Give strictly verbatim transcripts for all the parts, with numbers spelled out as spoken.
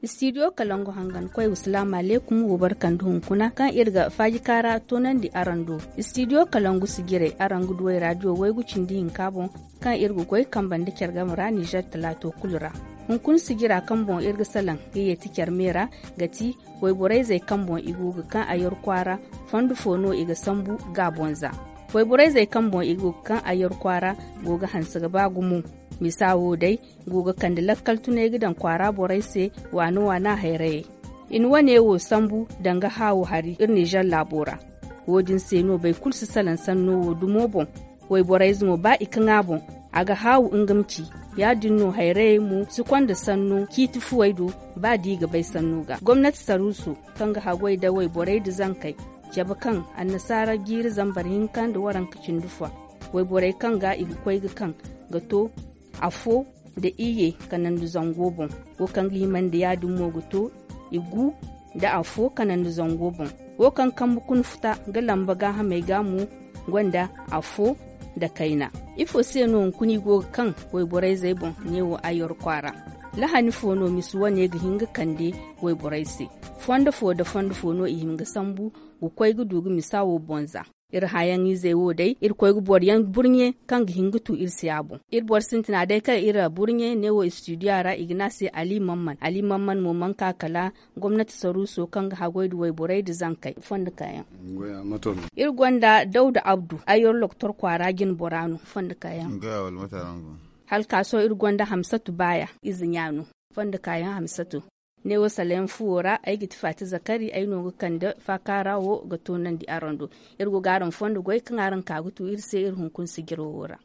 Istidiyo kalangu hangankoy wasalaamu aleekum wo barkandi hunkuna kaŋ iri ga faaji kaara toonandi araŋ do. Istidiyo kalangu sijirey araŋ ga du ay raadiyo waygu cindi hinka boŋ, kaŋ iri ga goy kambe nda care game ra nizer talaato kulu ra. Hunkuna sijira kaŋ boŋ iri ga salaŋ ga yeeti care me ra ga ti wayborayzey kaŋ boŋ i go ga kaŋ a yar kwaara fondo fo no i ga sambu ga a boŋ za. Wayborayzey kaŋ boŋ i go ga kaŋ a yar kwaara go ga hanse ga ba gumo. Misa wo day go ga kande lakkal tunay ga daŋ kwaara borey se waana waana hayrayey. I na wane wo sambu danga haawu hari iri nizer laabo ra. Wo- din se no boro kulu si salaŋ sanno wo dumo boŋ. Wayborayze mo ba i kaŋ a boŋ a ga haawu nga ma ci. Ya- din no hayrayey mo si konda sanno ciiti fuwey do ba da i ga bay sanno ga gomnati saruuso kaŋ ga haggoy nda wayborey nda zankey cabe kaŋ annasaara jiiri zambar hinka nda waranka cindi fo. Wayborey kaŋ ga i ga koy ga kaŋ ga to afo nda iyye kanandu zango boŋ. Wo kaŋ ga himandi ya- din mo ga to i gu nda afo kanandu zango boŋ. Wo kaŋ kambe kuna futa ga lamba gaahamey ga mo gonda afo nda kayna. Ifo se no hunkuna i go ga kaŋ wayborayzey boŋ? Neewo a yar kwaara lahani fo no misa wane ga hin ga kande wayborey se? Fondo fo nda fondo fo no i hin ga sambu ga koy ga du ga misa wo boŋ za. Iri hãyaŋizey wo day iri koy ga boro yaŋ burɲe kaŋ ga hin ga tu iri se a boŋ. Iri boro sintina day kaŋ iri burɲe neewo istidiyo ra i ga ne a se ali mamman ali mamman mo mana ka kala gomnati saruuso kaŋ ga haggoy nda wayborey nda zankey fondo kaayaŋ. Iri gonda dawda abdu ayyar loktor kwaara jinbora no fondo kaayaŋ. Hala ka sohõ iri gonda hamsatu baaya ize ɲa no fondo kaayaŋ hamsatu. Neewo salayaŋ fuwo ra ay ga ti faati zakari ay no ga kande faakaara wo ga toonandi araŋ do. Iri go ga araŋ fondo goy kaŋ araŋ ka ga tu iri se iri hunkuna sijiro wo ra.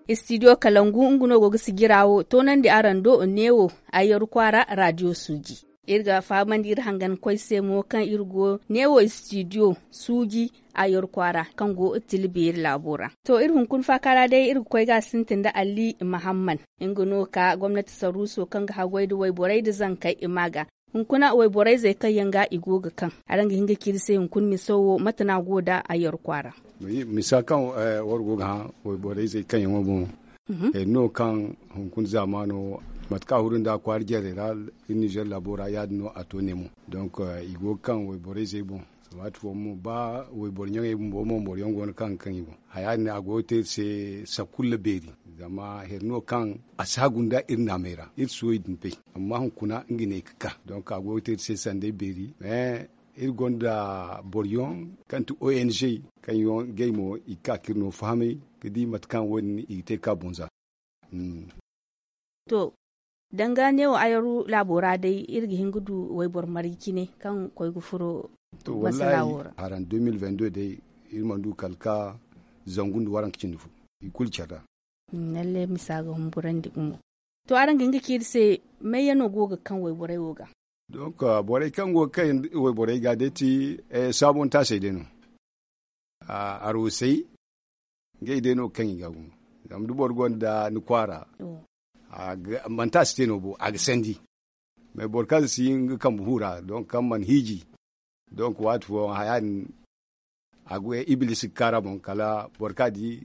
Istidiyo kalangu nga no go ga sijira wo toonandi araŋ do neewo ayyaru kwaara raadiyo suuji. Iri ga fahamandi iri hangan koy se mo kaŋ iri go neewo istidiyo suuji ayyaru kwaara kaŋ go tila beeri laabo ra. To iri hunkuna faaka ra day iri ga koy ga a sintin nda ali mahamman. Nga no ka gomnati saruuso kaŋ ga haggoy nda wayborey nda zankey i ma ga hunkuna wayborayzey kaŋ yaŋ ga i go ga kaŋ araŋ ga hin ga ci iri se hunkuna miso wo mate no a go nda ayyaru kwaara? Misa kaŋ war go ga hã wayborayzey kaŋ yaŋo boŋ. Iri no kaŋ hunkuna zaamaano mate kaŋ a huru nda kwaara jarey ra iri nizer laabo ra ya- din no a to ne mo. Donk i go ga kaŋ wayborayzey boŋ. Waati fooyaŋ mo ba wayboro ɲaŋey bumbo mo boro yaŋ go no kaŋ ga kaŋ i boŋ haya din a go ga te iri se sakulla beeri. Zama hari no kaŋ a si hagu nda iri naamey ra iri si wo i din bay. Amma hunkuna nga ne ga ka donk a go ga te iri se sanday beeri. Mais iri gonda boro yaŋ kaŋ ti ong kaŋ yaŋ ngey mo i ga ka ka iri no fahamay ga di mate kaŋ wo- din i ga te ga ka boŋ za. To danga neewo ayaru laabo ra day iri ga hin ga du wayboro marje cine kaŋ koy ga furo masala wo ra? Haraŋ deux mille vingt-deux day iri mana du kala ga zangu nda waranka cindi fo i kulu care ra. Lalle misa ga humburandi gumo. To araŋ ga hin ga ci iri se mayyaŋo go ga kaŋ wayborey wo ga? Donk borey kaŋ go ga kaŋ wayborey ga day ti saabontaasey day no. Arwasey ngey day no ga kaŋ i ga gumo. Zama da boro gonda ni kwaara manti a si te no bo a ga sandi. Mais boro kaŋ si nga kambe hu ra donk kaŋ mana hiiji. Donk waati fooyaŋ haya din a ga ibilisi ga kaara boŋ kala boro kaŋ a di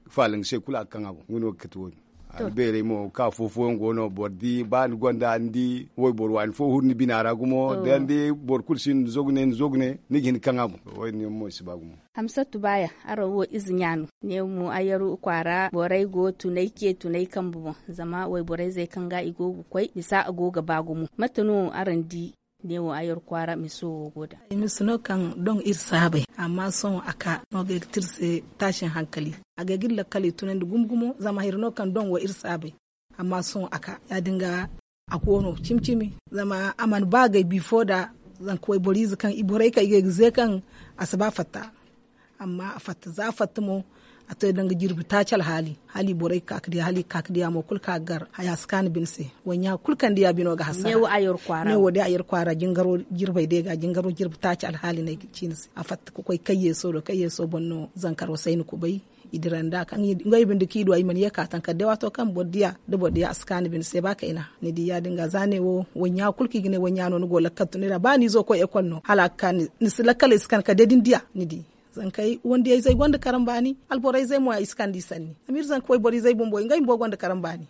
faala nga se kulu a ga kaŋ a boŋ nga no ga kate wo- din. Albeerey mo kaŋ afo fooyaŋ go no boro di ba ni gonda ni di wayboro waani fo huru ni bina ra gumo da ni di boro kulu si ni zogne ni zogne ni ga hin ga kaŋ a boŋ. Wo- din yaŋ mo i si ba gumo. Hamsatu baaya araŋ wo ize ɲa no. Neewo mo ayaru kwaara borey go tunay ce tunay kambe boŋ. Zama wayborayzey kaŋ ga i go ga koy misa a go ga ba gumo mate no araŋ di? Neewo ayaru kwaara miso wo go da. Miso no kaŋ doŋ iri saabay amma sohõ a ka no ga ay ga ti iri se taasin hankali. A ga ay ga iri lakkaley tunandi gumo gumo zama hari no kaŋ doŋ wo iri saabay. Amma sohõ a ka ya- din ga a go no cimi cimi. Zama a mana ba agay bifo nda zanka wayboro ize kaŋ i borey kaŋ i ga ay ga ze kaŋ a si ba fatta. Amma a fatta za a fatta mo a to ay danga jirbi taaci alhaali hala i borey ga ka ga diya hala i ga ka ga diya mo kulu kaŋ a ga gar haya si kaanu bine se. Wayɲa kulu kaŋ diya bino ga hasara. Neewo day a yar kwaara jingaro jirbey day ga jingaro jirbi taaci alhaali no ay ga ci ni se a fatta ga koy kayyeeso do kayyeeso boŋ no zankaro sayni kubay. I dira nd'a kaŋ ngey binde kaŋ i du ay mana ye ka taŋ kala day waato kaŋ boro diya da boro diya a si kaanu bine se ba kayna. Ni di ya- din ga za neewo wayɲa kulu kaŋ i ga ne wayɲa no ni go lakkal tunay ra ba ni izo koy ekol no hala a ga ka ni si lakkaley si kan kala day da ni diya ni di. Zankey wandiyayzey gonda karambaani. Alborayzey mo ya i si kande i sanni zama iri zanka wayboriizey bumbo ngey bumbo gonda karambaani.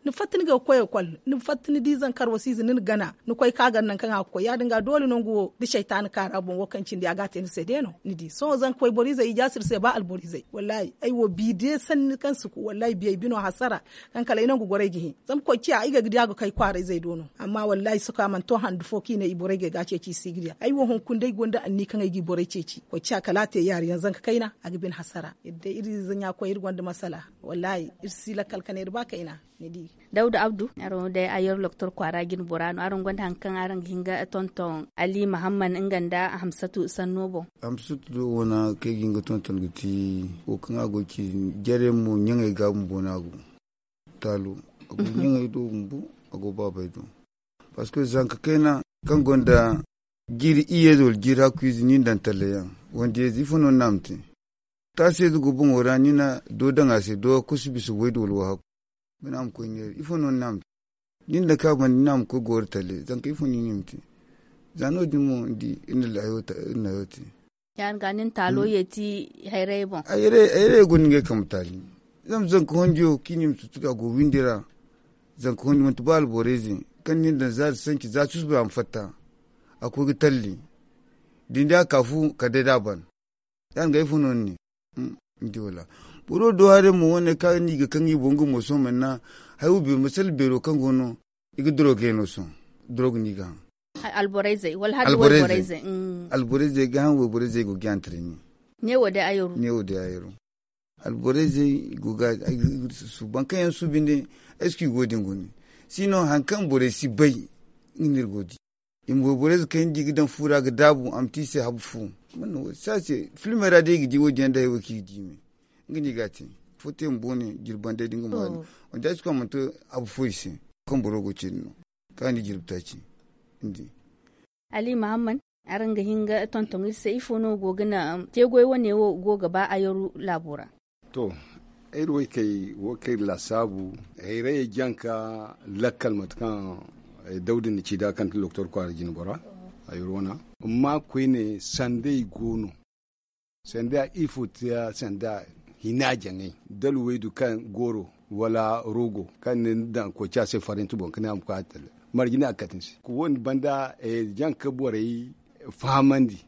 Ni fatta ni ga koy ekol, ni fatta ni di zanka arwasiize ni na gana ni koy ka a gana nangu kaŋ a ga koy ya- din ga doole nangu wo da saytaana kaara boŋ wo kaŋ cindi a ga a te ni se day no. Ni di sohõ zanka wayboriizey i jaasi iri se ba alboriizey wallaahi ay wo bi day sanni kaŋ si ku wallaahi biyey bino hasara. Kaŋ kala ay nangu gorey ga hin zama koy ciya ay ga ga di a ga kay kwaarayzey do no. Amma wallaahi sohõ a mana to handu fo kaŋ i ne i borey ga ay ga a ceeci i si ga diya ay wo hunkuna day gonda anniya kaŋ ay ga i borey ceeci koy ciya kala a te yaari yaŋ zanka kayna a ga bine hasara iri day iri ize ɲa koy iri gonda masala. Wallaahi iri si lakkal ka ne iri ba kayna. Ni di dawda abdu araŋ wo day a yar loktor kwaara jine bora no araŋ gonda hari kaŋ araŋ ga hin ga tonton ali mahamman nga nda hamsatu sanno boŋ. Hamsatu do wana kaŋ ay ga hin ga tonton ga ti wo kaŋ a go ga ci jare mo ɲaŋey ga bumbo no a go taalo a go ɲaŋey do bumbo a go baabey do. Parceque zanka kayna kaŋ gonda jiiri iyye wala jiiri hakku ize ni daŋ talle yaŋ wanda yeeze ifo no ni na a ma te. Taasi yeeze go boŋo ra ni na do daŋ a se do kusa bisa waydu wala wahakku. Ni na a ma koy neera ifo no ni na a ma te. Ni na daŋ ka banda ni na a ma koy gooro talle zanka ifo no ni na i ma te. Za no- din mo ni di iri na hayo te. Ya- din ga nin taalo yeeti hayrayey boŋ. Hayrayey go no ngey kambe taali zama zanka hondiyo kaŋ i na i ma tutu a go windi ra. Zanka hondi manti ba alborayze kaŋ nin daŋ za da sanci za susuba a ma fatta. A koy ga talli da ni di a ka fu kala day da a ban. Ya- din ga ifo no ni ne? Ni di wala boro do haray mo wane kaŋ ni ga kaŋ i boŋ ga mo sohõ manna. Hay wo beero masala beero kaŋ go no i ga doroge no sohõ. Doroge no i ga haŋ. Alborayzey wala hada wayborayzey. Alborayzey ga haŋ wayborayzey go ga yaŋ tare ni. Ne wo day a yaru. Alborayzey i go ga susu baŋ kaŋ yaŋ suubi nda. Est ce que i go din gune sino hari kaŋ borey si bay. Nga no iri go ga di i ma wayborayze kaŋ yaŋ di ga daŋ fu ra ga daabu a ma te i se habu fu. Sase filmey ra day i ga di wo- din yaŋ da hari wo kaŋ i ga di me. Nga no i ga a te fo te ma boone jirbi banday da nga ma haali. Wanda a si koy a mana to habu fo i se. Kaŋ boro go ga ce din no kaŋ a na i jirbi taaci. Ni di. Ali mahamman, araŋ ga hin ga tonton iri se ifo no go ga na teegoy wane wo go ga ba ayaru laabo ra? To, iri waykey wo kaŋ iri laasaabu hayrayey jaŋ ka lakkal mate kaŋ dawda na ci nd'a kaŋ ti doktor kwaara jine bora. Ayaru wana amma koyne sanday go no. Sanda ifo te ya sanda hina jaŋay da luwaydu kaŋ goro wala rogo kaŋ ni daŋ koy ci a se farenti boŋ ka ne a ma koy a talle. Marje no a ga kate ni se wo- din banda jaŋ ka borey fahamandi.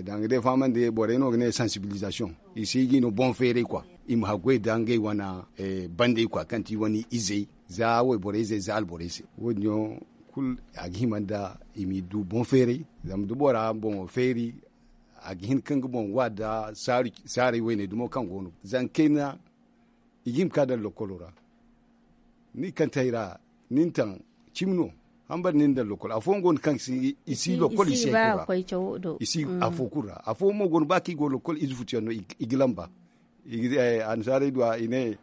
Danga day fahamandi borey no ga ne sansibilisation. I si ga i no boŋ feeray kwa i ma haggoy da ngey wane bandey kwa kaŋ ti i wane izey za wayborey izey za alborey se wo- din yaŋ kulu a ga hima nda i m'i du boŋ feeray. Zama da bora boŋo feeri a ga hin ka nga boŋ wa nda saarey wayne dumo kaŋ go no zankayna. I ga hima ka daŋ lokolo ra ni kantey ra ni na taŋ cimi no. Hambara ni na daŋ lokol afooyaŋ go no kaŋ i si lokol i si afo kulu ra afooyaŋ mo go no ba kaŋ i go lokol ize futuyaŋ no i ga lamba. Annasaarey du a i ne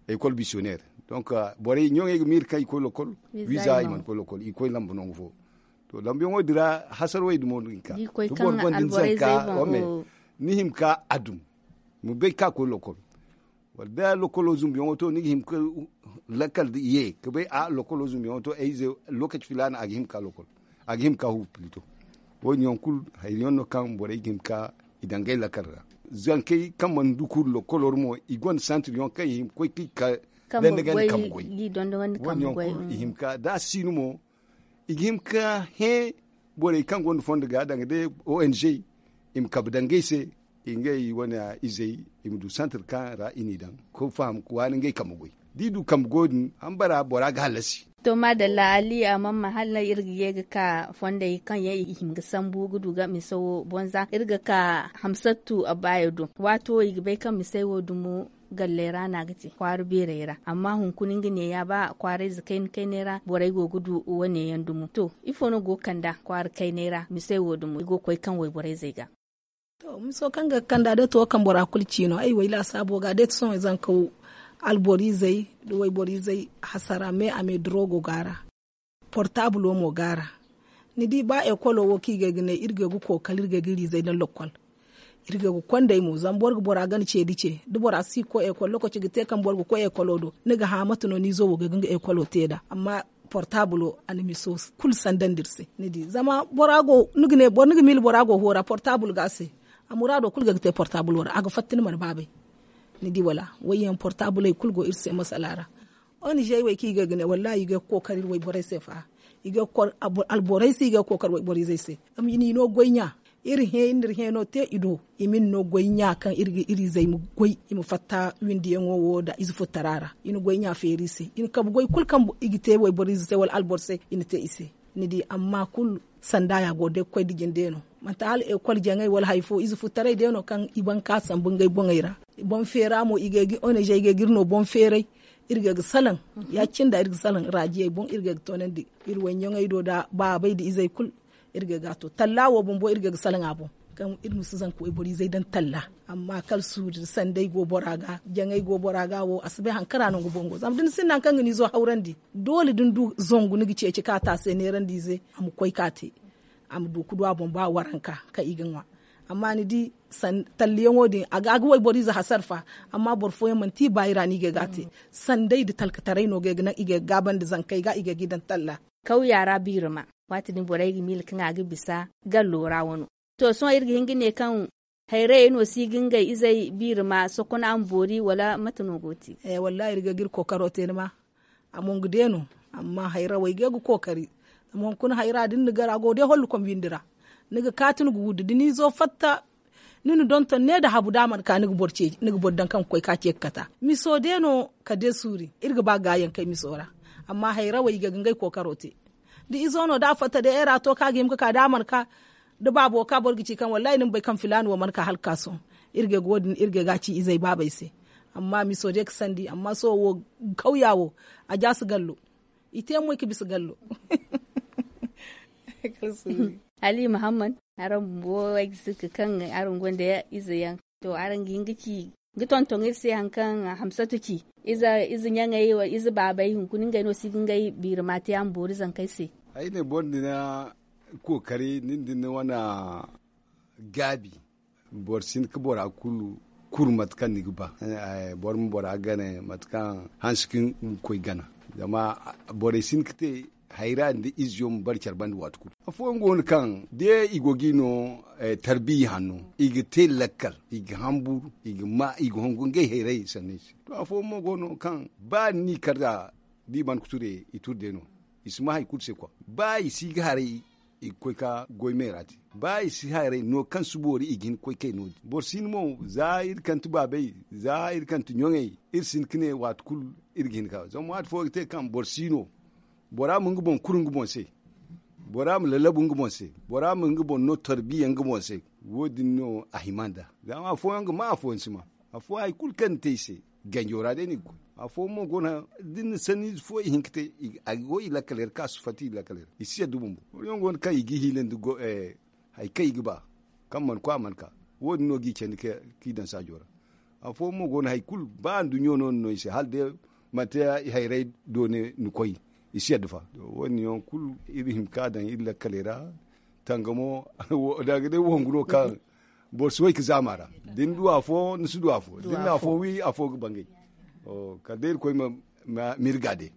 ekol missionnaire. Donc borey ɲoŋey ga miiri kaŋ i koy lokol wiiza i mana koy lokol i koy lamba nangu fo. To lambuyaŋo din ra hasarwey dumo no i ga ka da boro gonda ni zanka wame ni hima ka a dum ma bay ka koy lokol. Wala da lokolo zumbuyaŋo to ni ga hima ka lakkal ye ka bay a lokolo zumbuyaŋo to ay ize lokaci filaana a ga hima ka lokol a ga hima ka hubu pilito. Wo- din yaŋ kulu hari yaŋ no kaŋ borey ga hima ka i daŋ ngey lakkal ra. Zankey kaŋ mana du kuru lokolo ra mo i gonda santir yaŋ kaŋ i hima koy ka i ka danda ganda kambe goy. Wo- din yaŋ kulu i hima ka da a si no mo i ga hima ka hẽ borey kaŋ gonda fondo ga danga day ong i ma kabe dangey se ngey wane izey i ma du santir kaŋ ra i n'i daŋ ka faham ka waani ngey kambe goy. Da i du kambe goy din hambara bora ga hallasi. To maadalla ali a mana ma hala iri ga ye ga ka fondey kaŋ yaŋ i hima ga sambu ga du ga mise wo bonza iri ga ka hamsattu abbaayo do waato i ga bay kaŋ misey wo dumo galley ra no a ga te kwaara beerey ra amma hunkuna nga neeya ba kwaarayze kayna kayney ra borey go ga du wane yaŋ dumo to ifo no go ga kand'a kwaara kayney ra misey wo dumo i go ga koy kaŋ wayborayzey ga. To miso kaŋ ga ga kand'a day to kaŋ bora kulu ci no ay wo ay laasaabo ga day to sohõ zanka wo alboriizey da wayboriyzey hasara me a me durogo go a ra. Portabulo mo go a ra. Ni di ba ekolo wo kaŋ i ga ay ga ne iri ga ay ga kookari iri ga ay ga iri izey daŋ lokkol. Iri ga ay ga kondey mo zama boro ga bora gana ceedi ce da bora si ga koy ekol lokaci ga te kaŋ boro ga koy ekolo do ni ga hã mate no ni izo wo ga ay ga nga ekolo te nd'a amma portabulo a na miso kulu sandandi iri se ni di zama bora go ni ga ne boro ni ga miila bora go hoora portabul go a se. a muraado kulu ga ga te portaabuloo ra a ga fatta ni mana baabay. Ni di wala wayyaŋ portaabuley kulu go iri se masala ra. Onizey wey kaŋ i ga ga ne wallaahi i ga ga kookari iri wayborey se fa. I ga ga kookari wayborey se i ga ga kookari wayboriizey se. Zama i n'i no goy ɲa iri hẽ iri n'iri hẽeno te i do. I ma ni no goy ɲa kaŋ iri ga iri izey ma goy i ma fatta windiyaŋo wo nda ize futtara ra. I na goy ɲa feeri i se i na kabe goy kulu kaŋ i ga te wayboriize se wala alboro se i na te i se. Ni di amma kulu sanda ya go day ga koy da jinde no. Manti hala ekol jaŋay wala hari fo ize futtaray day no kaŋ i ban ka sambu ngey boŋey ra. Boŋ feera mo i ga ay ga onezey ga ay ga iri no boŋ feeray. Iri ga ay ga salaŋ ya- cine nda iri ga salaŋ raajiyey boŋ iri ga ay ga toonandi iri wayɲaŋey do nda baabey nda izey kulu. Iri ga ay ga a to talla wo bumbo iri ga ay ga salaŋ a boŋ kaŋ iri ma si zanka wayboro izey daŋ talla. Amma kala suuri nda sanday go bora ga jaŋay go bora ga wo a si bay hari kaŋ ra no nga boŋ go zama da ni sinda hari kaŋ ga ni izo hawrandi doole da ni du zangu ni ga ceeci ka taase neerandi ize a ma koy ka te. A ma du ga du a boŋ ba waranka kaŋ i ga ŋwa. Amma ni di talliyaŋo din a ga wayboro ize hasara fa. Amma boro fooyaŋ manti i baayi ra no i ga ay ga a te. Sanday nda talkataray no ga ay ga naŋ i ga ay ga gaabandi zankey ga i ga ay ga i daŋ talla. Kawya ra biirima waati din borey ga miila kaŋ a ga bisa gallo ra wano. To sohõ iri ga hin ga ne kaŋ hayrayey no si ga ngey izey biirima sokona ma boori wala mate no go te? Wallaahi iri ga ga iri kookaro te ni ma. A mo nga de no. Amma hayrawey ga ga kookari. Zama hunkuna hayra da ni na gar a go day hollokom bindi ra. Ni ga kaati ni ga wuddu da ni izo fatta. Ni na donton ne nda habu da a mana ka ni ga boro daŋ kaŋ ga koy ka ce ga kata miso de no. Kala day suuri iri ga ba gaayaŋ kay miso ra. Amma hayrawey i ga ga ngey kookaro te. Da izo no da a fatta day era to kaŋ a ga hima ga ka da a mana ka da baabo ka boro ga ci kaŋ wallaahi ni ma bay kaŋ filaana wo mana ka hala ga ka sohõ. Iri ga ay ga wo- din iri ga ay ga a ci izey baabey se. Amma miso day ga sandi amma sohõ wo kawya wo a jaasi gallo. I te moy ga bisa gallo. Ali muhammad, araŋ bumbo ay ga si ga kaŋ araŋ gonda ize yaŋ. To araŋ ga hin ga ci ga tonton iri se hari kaŋ hamsatu ci ize ɲaŋey wala ize baabey hunkuna ngey no si ga ngey biirima te a ma boori zankey se. Ay ne boro din na kookari nin din na wane gaabi. Boro si hin ga bora kulu kuru mate kaŋ ni ga ba. Boro ma bora gane mate kaŋ hanse kaŋ ga koy gana. Zama borey si hin ga te hayra nda izeyaŋ ma bare care banda waati kulu. Afooyaŋ go no kaŋ da i go ga i no tarbiya hanno i ga te lakkal, i ga hamburu, i ga ma i ga hongu ngey hayray sanney se. To afooyaŋ mo go no kaŋ ba ni n'i kar da da i mana ga ture i ture day no. I si ma hari kulu se kwa ba i si ga haray i ga koy ga goy meera te. Ba i si haray no kaŋ si boori i ga hin ga koy kay no- din boro si hin mo za iri kante baabey, za iri kante ɲoŋey, iri si hin ga ne waati kulu iri ga hin ga zama waati fo ga te kaŋ boro si no. Bora ma nga boŋ kuru nga boŋ se. Bora ma lallabu nga boŋ se. Bora ma nga boŋ no tarbiya nga boŋ se. Wo- din no a hima nd'a. Zama afooyaŋ ga ma afooyaŋ si ma. Afo hari kulu kaŋ ni te i se ganjo ra day no i ga koy. Afooyaŋ mo go no da ni na sanniize fo i hin ga te a go i lakkaley ra kaŋ a si fatta i lakkaley ra i si yadda bumbo. Boro yaŋ go no kaŋ i ga i hiilandi hari kaŋ i ga ba kaŋ mana koy a mana ka. Wo- din no ga i candi kaŋ i daŋ saajo ra. Afooyaŋ mo go no hari kulu ba nduɲɲo no ni no i se hala day manti hayray doone ni koy. I si yadda fa. Wo- din yaŋ kulu iri hima ka daŋ iri lakkaley ra. Tangamo danga day wongu no kaŋ boro si way ga zaama ra. Da ni du afo ni si du afo da ni na afo wi afo ga bangay. Kala day irkoy ma mirga day.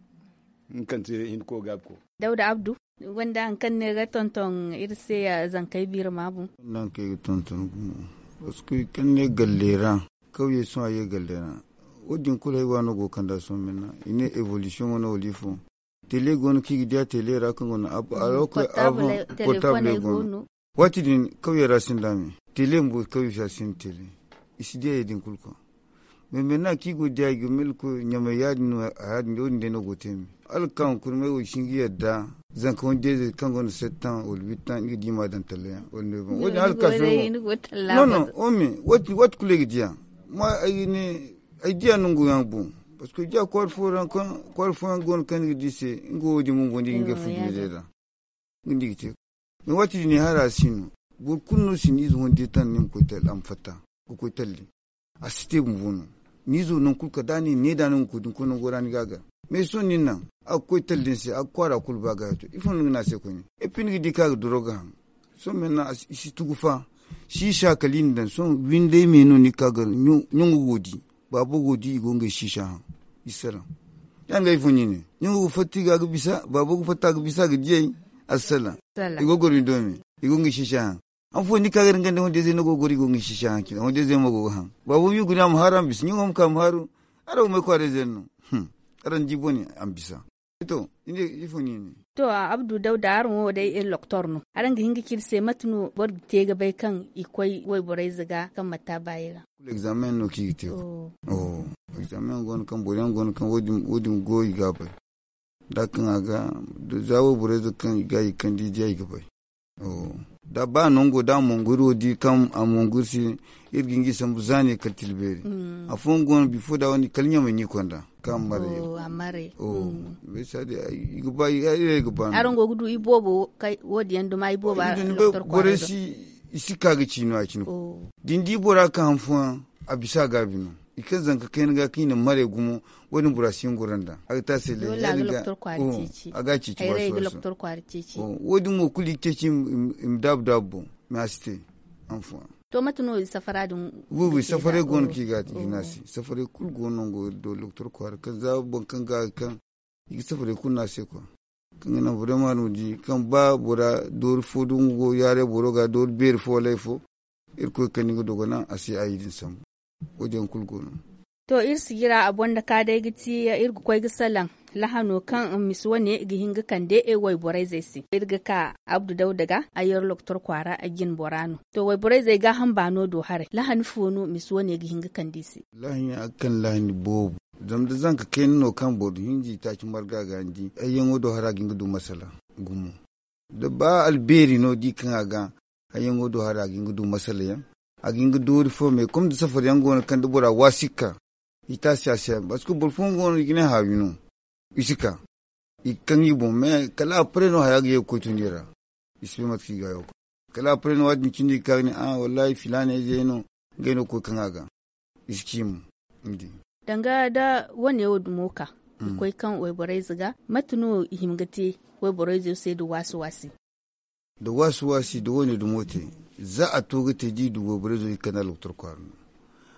Nga kaŋ te hinko gaabi ko. Dawda abdu, ni gonda hari kaŋ ni ga tonton iri se zankey biiri maabu? Ni gonda hari kaŋ ay ga tonton gumo. Parce que kaŋ ni ne galle ra kawye sohõ a ye galle ra. Wo- din kulu ay waano go ga kand'a sohõ minna i ne evolution wane wala ifo. Tele go no kaŋ i ga di a tele ra kaŋ go no a rokoy avant portable go no. Waati din kawye ra sinda me tele bumbo kawye se a sinda tele. I si di a ye din kulu koy. Meme no a kaŋ i go ga di a i ga milko ɲamay ya- din no a ya- din wo- din day no go ga te me. Hala ga ka hunkuna may wo i si hin ga yadda zanka wande ze kaŋ gonda sept ans wala huit ans nga di ma daŋ talla yaŋ wala neuf ans wo- din hala ga ka sohõ. Non non wo- me waati kulu ay ga di a. Ma ay ga ne ay di a nangu yaŋ boŋ. Parce que ay di a kwaara fooyaŋ go no kaŋ ni ga di se nga wo- din bumbo ni ga nga fu jiirey ra. Nga no i ga te. Mais waati din ay hara si no. Boro kulu no si ni ize honde taŋ ni ma koy talli a ma fatta ga koy talli. A si te bumbo no. Ni izo nangu kulu kala da a na i ne da a no nga koy da ni koy nango ra ni ga a gar. Mais sohõ nin naŋ a ga koy talli ni se a ga kwaara kulu ba ga ya to ifo no ni ga ne a se koyne? Epi ni ga di kaŋ a ga doro ga haŋ. Sohõ me naŋ i si tugu fa. Siisa kala i na daŋ sohõ windey me no ni ga ka gar ɲaŋo go di. Baabo go di i go ngey siisa haŋ. I si salaŋ. Ya- din ga ifo ni ne ɲaŋo ga fatta i ga a ga bisa baabo ga fatta a ga bisa a ga diyay. A si salaŋ. I go ga goro ni do me i go ngey siisa haŋ. Afo ni ka ga iri nga nda hondezey no go ga goro i go ga ni sisi haŋ cine hondezey mo go ga haŋ. Baabo wi guna a ma haaru a ma bisa ɲaŋo ma ka a ma haaru. Araŋ wo may kwaarayzey no. Araŋ di bone a ma bisa. To ni ne ifo ni ne? To, abdu dawda araŋ wo day iri loktor no araŋ ga hin ga ci iri se mate no boro ga te ga bay kaŋ i koy wayborayze ga kaŋ manti a baayi ra? Kulu egzaamen no kaŋ i ga te. Egzaamen go no kaŋ boro yaŋ go no kaŋ wo- din go i ga a bay. Da a kaŋ a ga za wayborayze kaŋ i ga i ga kande i diya i ga bay. Da ba nango da a mongu iri wo di kaŋ a mongu iri se. Iri ga hin ga i sambu za ne kala tila beeri. Afooyaŋ go no bifo da wane kala ɲamay no i konda kaŋ a ma maray. Iri bay saadi i ga ba iri ay ga ba no. Araŋ go ga du iboobo wo- din yaŋ duma iboobo araŋ ga loktor kwaarey do. Borey si i si ka ga ci no ya- cine. Da ni di bora kaŋ han fooyaŋ a bisa a gaabi no. I kaŋ zanka kayna ga kaŋ i na maray gumo. Wo- din bora si hin goro nd'a a ga te a se lay ya- din ga a ga a ceeci. Wo- din mo kulu i ga ceeci i ma daabu daabu boŋ. Mais a si te. Hanfooyaŋ. To mate no i safara din? Wi wi safaray go no kaŋ i ga a te i ga ne a se safaray kulu go no nango iri do loktor kwaara kaŋ za boro kaŋ ga a ga kaŋ i ga safaray kulu ne a se kwa. Kaŋ ga naŋ burema no di kaŋ ba bora doori fo do nga go yaaray boro ga doori beeri fo wala hari fo. Irkoy kande nga dogo naŋ a si a yi din sambu. Wo- din yaŋ kulu go no. To iri sijira a boŋ da ka day ga ti iri ga koy ga salaŋ lahano kaŋ misi wane ga hin ga kande wayborayzey se iri ga ka abdu dawda ga a yar loktor kwaara a jin bora no. To wayborayzey gaaham baano do haray lahani fo no misi wane ga hin ga kande i se? Lahani a ga kande lahani boobo. Zama da zanka kayna no kaŋ boro hinza i taaci marga ga ni di hayyaŋo do hara ga hin ga du masala gumo. Da ba albeeri no di kaŋ a ga hayyaŋo do hara a ga hin ga du masala yaŋ. A ga hin ga doori fo me kom da safari yaŋ go no kaŋ da bora waasi ga ka i taasi a se yaŋ parce que boro fooyaŋ go no i ga ne haawi no. I si ka i ga kaŋ i boŋ me kala a pare no haya ga ye ga koy tun i ra. I si bay mate kaŋ i ga a yaw kala a pare no waati din cindi ga ka ga ne a wallahi filaana ize yaŋ no. Ngey no ga koy kaŋ a ga i si ci mo. Ni di. Danga da wane wo dumo ka i koy kaŋ wayborayze ga mate no i hima ga te wayborayzo se da waasi waasi? Da waasi waasi da wane dumo te za a to ga te da i du wayborayzo i kanda loktor kwaara no.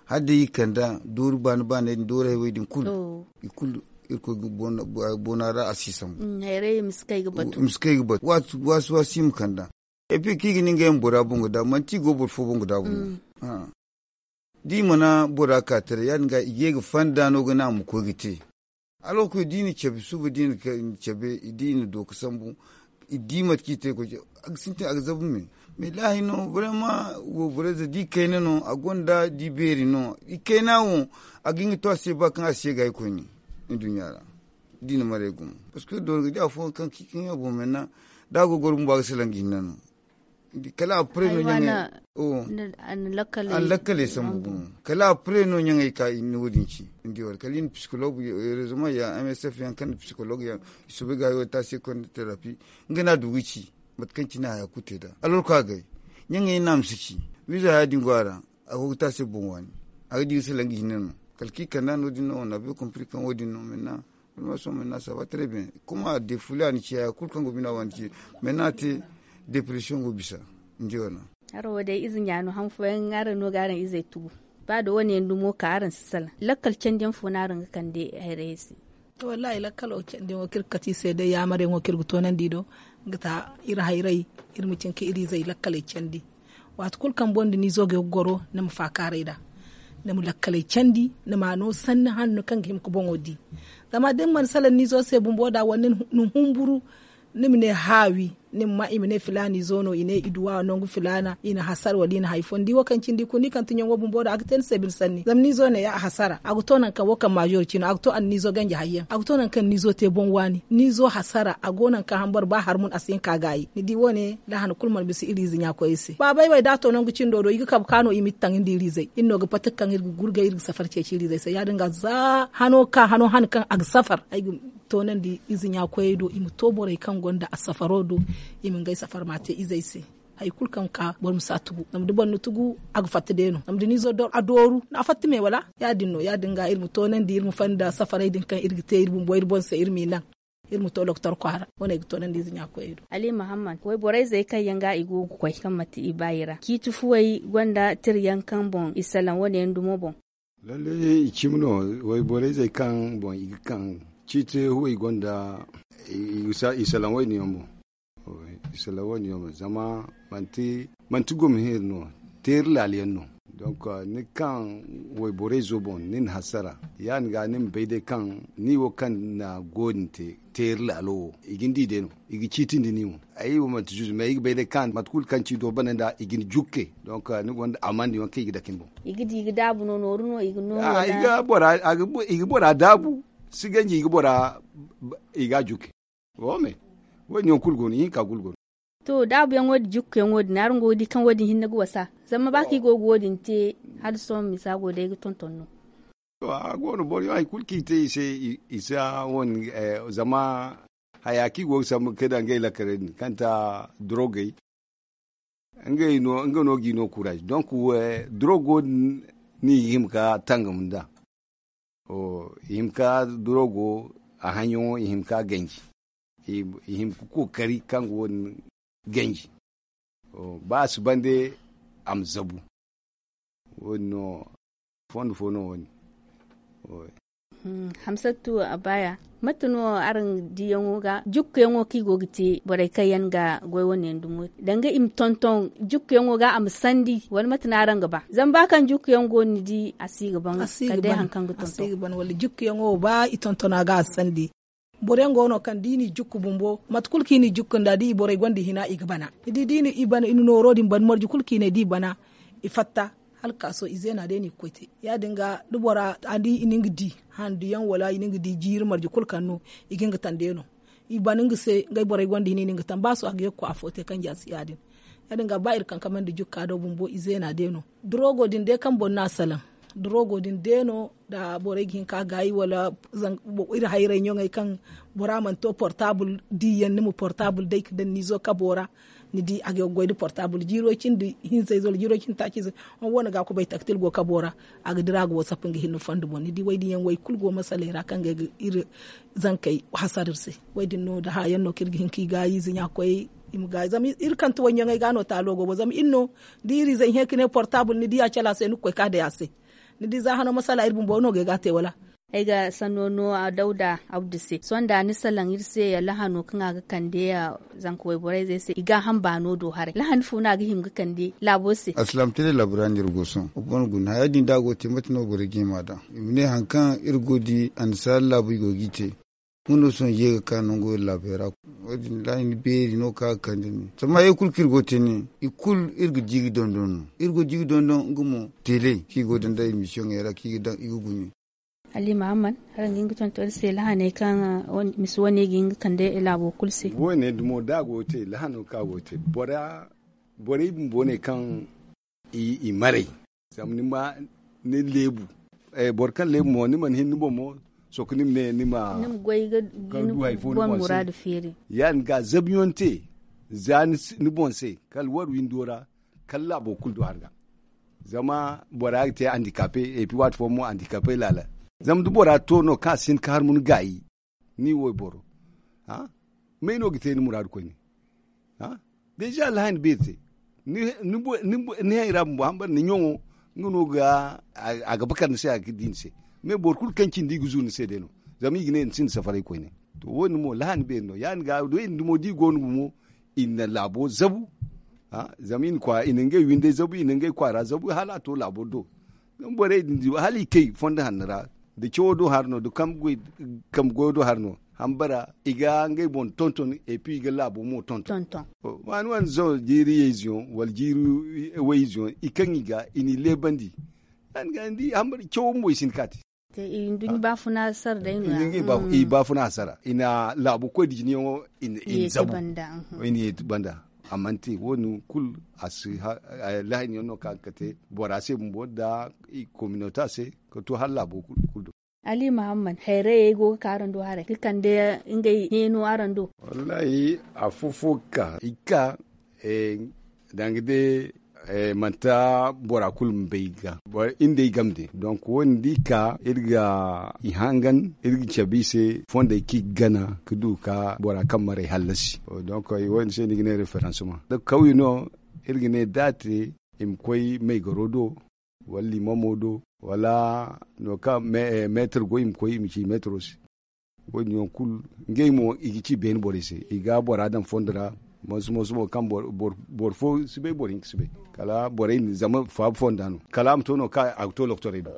Hala day i kanda doori baani baanay din doori haywey din kulu. I kulu irkoy ga boona ra a si sambu. Hayray i ma si kay ga batu waasi waasi i ma kanda. Epi kaŋ i ga ne ngey ma bora boŋ ga daabu manti i go boro fo boŋ ga daabu no. Da i mana bora ka taray ya- din ga i ga ye ga fanda no ga ne a ma koy ga te. Hala ga koy da i na cabe suba da i na cabe da i na do ga sambu. I di mate kaŋ i te ga koy a ga sintin a ga zabu me. Mais laahi no barema wayborayze da i kayna no a gonda da i beeri no i kayna wo. A ga hin ga to a se ba kaŋ a se ga ay koyne. Nduɲɲa ra da i na maray gumo parce que doori ga di afooyaŋ kaŋ kaŋ yaŋ boŋ menna da a go ga goro bumbo a ga salaŋ ga hinne no. Kala a pare no ɲaŋey a na lakkaley sambu gumo. Kala a pare no ɲaŋey ka i na wo- din ci ni di wala kala i na psikolog rezoman ya msf yaŋ kaŋ na psikolog yaŋ i soobay ga hayo ta se konda terapi. Nga no a du ga ci mate kaŋ cine haya kulu te nd'a alorka gay ɲaŋey no a ma si ci. Wiiza haya din go a ra a go ga te a se boŋ waani. A ga di ga salaŋ ga hinne no kala kaŋ i kand'a no- din no wane a bay kompiri kaŋ wo- din no menna. Almaso menna saba tare ben kuma de fulaani ci haya kulu kaŋ go bina waani ci menna a te depresiyoŋ go bisa. Ni di wane. Araŋ wo day ize ɲaano han fooyaŋ araŋ no ga araŋ izey tugu. Ba da wane yaŋ dumo ka araŋ si salaŋ lakkal candi yaŋ fo no araŋ ga kande hayrayey se? Wallaahi lakkalo candi yaŋo kaŋ iri ga kate i se day yaamaryaŋo kaŋ iri ga toonandi do, nga ta iri hayray iri ma cin ka iri izey lakkaley candi. Waati kulu kaŋ boro nda ni izo ga goro ni ma faakaaray nd'a. Ni ma lakkaley candi ni ma a no sanni hanno kaŋ ga hima ga boŋo di. Zama da ni mana salaŋ ni izo se bumbo nd'a wala ni humburu ni ma ne haawi ni ma ma i ma ne filaana izo no i ne i duwa nangu filaana i na hasara wala i na hari fo ni di wo kaŋ cindi kulu ni kaŋ ti ɲaŋo bumbo nd'a a ga te ni se bine sanni zama ni izo ne ya a hasara a ga to nangu kaŋ wo kaŋ maazo ci no a ga to anniizo ganja hari yaŋ a ga to nangu kaŋ ni izo te boŋ waani ni izo hasara a go nangu kaŋ hambara ba harmun a si hin ka gaayi ni di wo- ne da han kulu mana bisa iri ize ɲa koyey se baabey wey da a to nangu cindo do i ga kabe ka no i ma iri taŋ nda iri izey iri no ga pati kaŋ iri ga gurgay iri ga safari ceeci iri izey se ya- din ga za hano ka hano han kaŋ a ga safar ay ga toonandi ize ɲa koyey do i ma to borey kaŋ gonda a safaro do i ma ngey safar ma a te izey se. Hari kulu kaŋ ka boro ma si a tugu zama da boro na tugu a ga fatta day no zama da ni izo a dooru no a fatta me wala ya- din no ya- din ga iri ma toonandi iri ma fanda safarey din kaŋ iri ga te iri bumbo iri boŋ se iri m'i naŋ iri ma to doktor kwaara wane ay ga toonandi ize ɲa koyey do. Ali muhammad wayborayzey kaŋ yaŋ ga i go ga koy kaŋ manti i baayi ra ciiti fuwey gonda tira yaŋ kaŋ boŋ i salaŋ wane yaŋ dumo boŋ. Lalle i cimi no wayborayzey kaŋ boŋ i ga kaŋ ciiti fuwey gonda i salaŋ wayne yaŋ boŋ. Isala wo- din yaŋ zama manti gomhir no, teeri laali yaŋ no. Donk ni kaŋ wayborey zo boŋ ni na hasara, ya- din ga ni ma bay day kaŋ ni wo kaŋ na go- din te teeri laalo wo, i ga ni di day no, i ga ciitindi ni mo. Ay wo manti zuzu me ay ga bay day kaŋ mate kulu kaŋ ci do bana nda i ga ni jukke. Donk ni gonda amandi yaŋ kaŋ i ga dake ni boŋ. I ga di i ga daabu no nooru no i ga no. I ga bora daabu, si ganji i ga bora i ga a jukke. Wo- din yaŋ kulu go no ihinka kulu go no. To daabu yaŋo din jukku yaŋo din araŋ go ga di kaŋ wo- din hinne ga wasa? Zama ba kaŋ i go ga wo- din te, hala sohõ misa go day ga tonton no. To a go no boro yaŋ hari kulu kaŋ i te i se, i si a wane zama haya kaŋ i go ga sambu ga kay daŋ ngey lakarey din kaŋ ta dorogey. Ngey no nga no ga i no kuraaz donk dorogo din no i ga hima ga tangam nd'a. I hima ga dorogo a haŋyaŋo i hima ga ganji. I hima ga kookari kaŋ ga wo- din ganji. Ba a si bande a ma zabu. Wo- din no fondo fo no wo- din. Hamsatu a baaya, mate no araŋ diyaŋo ga jukkuyaŋo kaŋ i go ga te borey kaŋ yaŋ ga goy wane yaŋ dumo danga i ma tonton jukkuyaŋo ga a ma sandi wala mate no araŋ ga ba? Zama ba kaŋ jukkuyaŋ go no ni di a si ga ban kala day hari kaŋ ga tonton. Wala jukkuyaŋo ba i tonton a ga a sandi. Boro yaŋ go no kaŋ da i n'i jukku bumbo mate kulu kaŋ i n'i jukku nda da i borey gonda i hina i ga bana. Ni di da i na nooro din ban marje kulu kaŋ i ne da i bana, i fatta hala ga ka sohõ i zeena day no i ga koy te. Ya- din ga da bora a di i na nga di handu yaŋ wala i na nga di jiiri marje kulu kaŋ no i ga nga taŋ day no. I ban nga se ngey borey gonda i ne i na nga taŋ ba sohõ a ga ye ga koy afo te kaŋ ja si ya- din. Ya- din ga ba iri kaŋ kamandi jukka do bumbo i zeena day no. Dorogo din day kaŋ boro no a salaŋ dorogo din day no. Da borey ga hin ka gaayi wala iri hayray ɲoŋey kaŋ bora mana to portaabul diiyaŋ ni ma portaabul day ga daŋ ni zo kabo ra. Ni di a ga goy nda portaabul jiiro cindi hinza ize wala jiiro cindi taaci ize. Wane ga kubay taktil go kabo ra a ga dira a ga wasapu nga hinne fondo boŋ ni di way din yaŋ way kulu go masaley ra kaŋ ga iri zankey hasara iri se. Way din no da haya yaŋ no kaŋ iri ga hin ka i gaayi ize ɲa koy i ma gaayi zama iri kante way ɲoŋey ga no taalo go boŋ zama iri no da iri ize i hẽ ka ne portaabul ni di a cala se ni ga koy ka day a se. Ni di za hano masala iri bumbo no ga ay ga a te wala? Ay ga sanno no dawda abdu se sohõ da ni salaŋ iri se ya lahano kaŋ a ga kande ya zanka wayborey zey se i ga a ham baano do haray lahani fo no a ga hima ga kande laabo se? Alsilaam tele laabo ra no iri go sohõ wa boŋ guna haya din da a go ga te mate no borey ga hima daŋ i ma ne hari kaŋ iri go ga di annasaara laabu i go ga i te. Nga no sohõ ye ga ka nango iri laabey ra. Wo- din lahani beeri no kaŋ a ga kande no zama hayey kulu kaŋ iri go ga te ne i kulu iri ga di ga dondon no. Iri go ga di ga dondon nga mo tele kaŋ i go ga daŋ nda imisiyoŋey ra kaŋ i ga daŋ i ga gune. Ali mahamman, araŋ ga hin ga tonton iri se lahaney kaŋ misi wane ga hin ga kande laabo kulu se? Wane dumo da a go ga te lahano kaŋ a go ga te bora borey bumbo ne kaŋ i maray. Zama ni ma ni leebu boro kaŋ leebu mo ni mana hin ni boŋ mo sohõ ni ma ne ni ma goy ga du hari fo ni boŋ se. Ya- din ga zabiyaŋ te za ni boŋ se kala war windo ra kala laabo kulu du hari ga. Zama bora ga te andikape epi waati fooyaŋ mo andikape laala. Zama da bora to no kaŋ a si hin ga harmunu gaayi ni wayboro may no ga te ni muraadu koyne? Deeza lahani beeri te ni hayra bumbo hambara ni ɲaŋo nga no ga a ga bakar ni se a ga di ni se. Mais boro kulu kaŋ cindi i ga zu ni se day no zama i ga ne ni sinda safaray koyne. To wo- din mo lahani beeri no ya- din ga wo- din dumo da i go no gumo i na laabo zabu. Zama i na ngey windey zabu i na ngey kwaara zabu hala a to laabo do. Borey din di hala i kay fondo hanno ra da cawo do hari no da kambe goyo do hari no hambara i ga ngey boŋ tonton epi i ga laabo mo tonton. Waani waani zaw jiiri yayze yaŋ wala jiiri wayze yaŋ i kaŋ i ga i n'i leebandi. Ya- din ga ni di hambara cawo bumbo i si hin ga ka te. Nduɲɲa baafuna sara day no ya? I baafuna hasara i na laabo koy da jinayaŋo i na zabu. I na yeeti banda a mana te wo- din kulu a si lahani yaŋ no kaŋ a ga kate bora se bumbo nda kominota se ka to hala laabo kulu do. Ali mahammad hayrayey go ga ka araŋ do haray ga kande ngey heeno araŋ do? Wallahi afo fo ga ka i ga ka danga day manti bora kulu ma bay ga. Iri nda ay game day donc wo- din da i ka iri ga i hangan iri ga cabe i se fondey kaŋ i ga gana ga du ga bora kaŋ maray hallasi. Donc wo- din se no i ga ne référencement da kawye no iri ga ne da a te i ma koy maygaro do wala limamo do wala no kaŋ meetar go i ma koy i ma ci meetaro se. Wo- din yaŋ kulu ngey mo i ga ci beene borey se i ga bora daŋ fondo ra. Mooso mooso mo kaŋ boro fo si bay boro hinka si bay. Kala borey din zama faabu fonda no kala a ma to no kaŋ a ga to lokotorey do.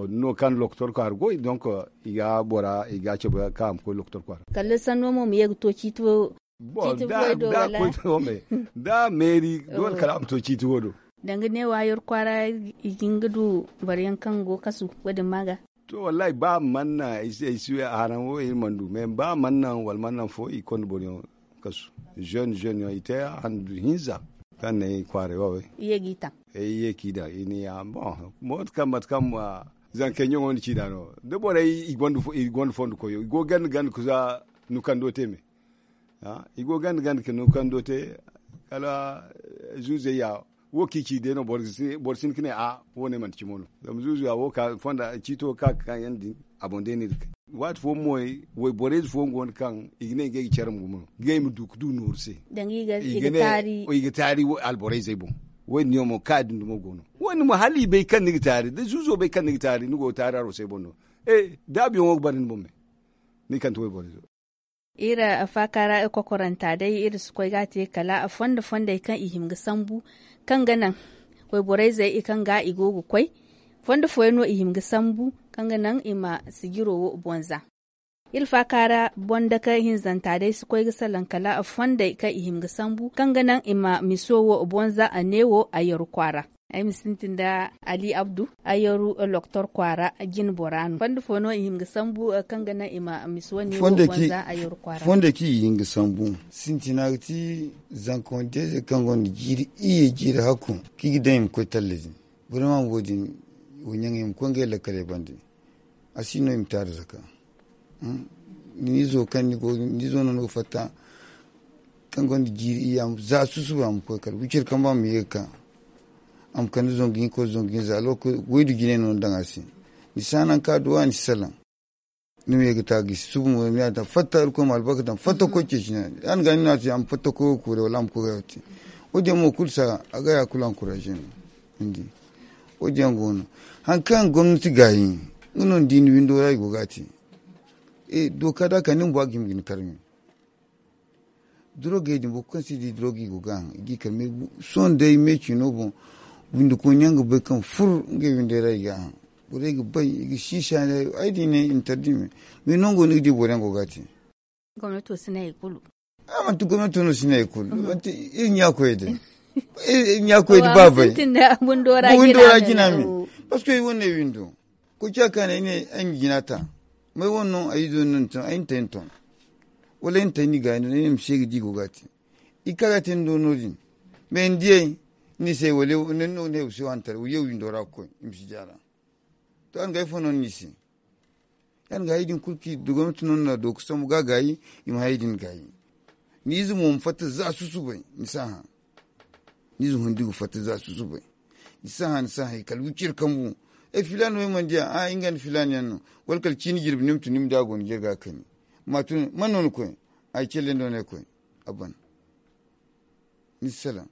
Din no kaŋ lokotor kwaara goy donk i ga bora i ga a cabe kaŋ a ma koy lokotor kwaara. Kala sanno mo ma ye ga to ciiti fo. Bon da a koy to me da a meeri doole kala a ma to ciiti fo do. Danga ne wa yer kwaara i ga hin ga du boro yaŋ kaŋ go kasu wo- din ma ga. To wallahi ba mana ay si ay si we a haraŋ wo iri mana du me ba mana naŋ wala mana naŋ fo i konda boro yaŋ kasu. Jeune jeune yaŋ i te handu hinza kaŋ ne i kwaaray wo. I ye ga i taŋ. Ay ye ka i daŋ i ne ya bon mooto kaŋ mate kaŋ ma zankey ɲaŋo nda ciina no da borey i gonda fondo koyo i go ganda ganda kusa nukando te me. I go ganda ganda ka nukando te kala zuuzey ya wo kaŋ i ci day no boro sinda ka ne a wo- ne manti cimo no. Zama zuuzu ya wo ka fonda ciito ka ga ka yaŋ din a boŋ day no iri ga kay. Waati fooyaŋ mo wayborey ze fooyaŋ go no kaŋ i ga ne ngey ga care ma gumo no ngey ma du ga du nooru se. I ga taari alborey zey boŋ. Wo- din yaŋ mo kaŋ a din dumo go no wo- din mo hala i bay kaŋ ni ga taari da zuuzo bay kaŋ ni ga taari ni go ga taari haro se boŋ no. Da a biyaŋ wo ga bare ni boŋ me ni kande wayborey zo. Iri faaka ra kokoranta day iri si koy ga a te kala fondo fondey kaŋ i hima ga sambu kaŋ ga naŋ wayborey zey i kaŋ ga i go ga koy. Fondo fooyaŋ no i hima ga sambu kaŋ ga naŋ i ma sijiro wo boŋ za. Iri faaka ra boŋ dake hinzanta day si koy ga salaŋ kala fondey kaŋ i hima ga sambu kaŋ ga naŋ i ma miso wo boŋ za a ne wo a yaru kwaara. Ay ma sintin nda ali abdu a yaru loktor kwaara jine bora no fondo fo no i hima ga sambu kaŋ ga naŋ i ma miso ne wo boŋ za a yaru kwaara. Fondey kaŋ i ga hin ga sambu sintina ga ti zanka wande ze kaŋ gonda jiiri iyye jiiri hakku kaŋ i ga daŋ i ma koy talla din. Boro ma wo- din wo ɲaŋey ma koy ngey lakkaley bande. A si no i ma te arzaka ni izo kaŋ ni go ni izo no ni ga fatta kaŋ gonda jiiri iyya za susuba a ma koy kala wiciri kaŋ ba ma ye ga ka. A ma kande zangu hinka zangu hinza alwakka waydu jine no ni daŋ a se. Ni si a naŋ ka duwa ni si salaŋ. Ni ma ye ga ta ga i si subu mo ni ma ya daŋ fatta irkoy ma albarka daŋ fatta koy ceeci no ya- din ga ni no a te a ma fatta koy ga kuuray wala a ma koy ga ya te. Wo- din yaŋ mo kulu si a ga ya kulu ankuraze no. Ni di wo- din yaŋ go no. Hari kaŋ gomnati gaayi nga no ni di ni windo ra i go ga a te. Dooka da a ka ni bumbo a ga hima ga ni karmi. Durogey din boro kulu kaŋ si di durogey go ga a haŋ i ga i kar me. Sohõ day me ciino boŋ windi koy ɲaŋ ga bay kaŋ fur ngey windey ra i ga a haŋ. Borey ga bay i ga siisa ne ay di ne interdi me. Me nango ni ga di boro yaŋ go ga a te. Gomnato si ne hari kulu. A manti gomnato no si ne hari kulu manti iri ɲa koy day. Iri ɲa koy day ba bay. Windo ra jina me. Parce que ay wane windo koy ciya ka ne ay ne ay ma jina ta. May wane no ay izo no ni ton ay na tay ni ton. Wala ay na tay ni gaayi no ne ay ma se ga di go ga a te. I ka ga te ni do no- din. Mais ni diyay ni se wala ni no ne ay ma se wani tara wala yaw windo ra ga koy i ma si jaara. To a na ga ay fo no ni se. Ya- din ga hay din kulu kaŋ i du gomnati no ni na do ga sambu ga gaayi. I ma hay din gaayi. Ni ize mo ma fatta za susubay ni si a hã. Ni ize hundi ga fatta za susubay. Ni si a hã ni si a hã i kala wiciri kambu. Ay filaana wo ay mana di a a nga nda filaana yaŋ no. Wala kala ciini jirbi ni ma tun ni ma di a go ni jirga kani. Ma tun man no ni koy? Ay celle ndo no ay koy. A ban. Ni si salaŋ.